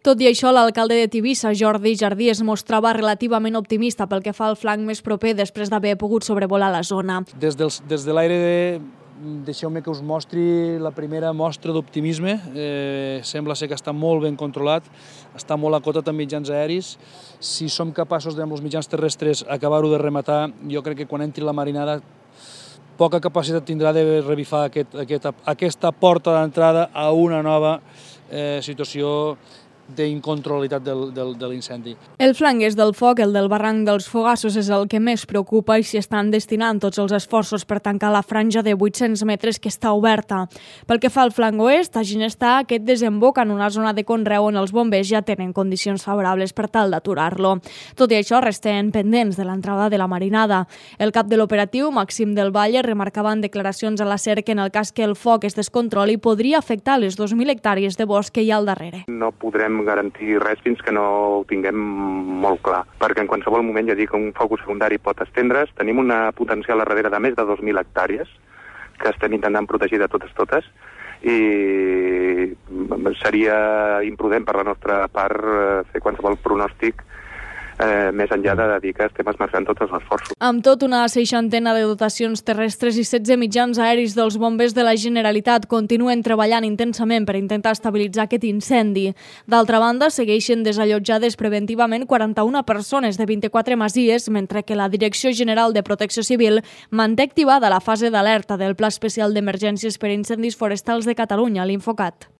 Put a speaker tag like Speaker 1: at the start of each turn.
Speaker 1: Tot i això, l'alcalde de Tivissa, Jordi Jardí, es mostrava relativament optimista pel que fa al flanc més proper després d'haver pogut sobrevolar la zona.
Speaker 2: Des de l'aire, deixeu-me que us mostri la primera mostra d'optimisme. Sembla ser que està molt ben controlat, està molt acotat amb mitjans aeris. Si som capaços amb els mitjans terrestres acabar-ho de rematar, jo crec que quan entri la marinada poca capacitat tindrà de revifar aquesta porta d'entrada a una nova situació d'incontrolabilitat de l'incendi.
Speaker 1: El flanc est del foc, el del barranc dels Fogassos, és el que més preocupa i s'hi estan destinant tots els esforços per tancar la franja de 800 metres que està oberta. Pel que fa al flanc oest, a Ginestar, aquest desemboca en una zona de conreu on els bombers ja tenen condicions favorables per tal d'aturar-lo. Tot i això, resten pendents de l'entrada de la marinada. El cap de l'operatiu, Màxim del Valle, remarcava en declaracions a la SER que en el cas que el foc es descontroli podria afectar les 2.000 hectàrees de bosc que hi ha al darrere.
Speaker 3: No podrem garantir res fins que no ho tinguem molt clar, perquè en qualsevol moment, ja dic, un focus secundari pot estendre's. Tenim una potencial a darrere de més de 2.000 hectàrees que estem intentant protegir de totes i seria imprudent per la nostra part fer qualsevol pronòstic més enllà de dir que estem esmerçant tots els esforços.
Speaker 1: Amb tot, una 60 de dotacions terrestres i 16 mitjans aeris dels bombers de la Generalitat continuen treballant intensament per intentar estabilitzar aquest incendi. D'altra banda, segueixen desallotjades preventivament 41 persones de 24 masies, mentre que la Direcció General de Protecció Civil manté activada la fase d'alerta del Pla Especial d'Emergències per Incendis Forestals de Catalunya, l'Infocat.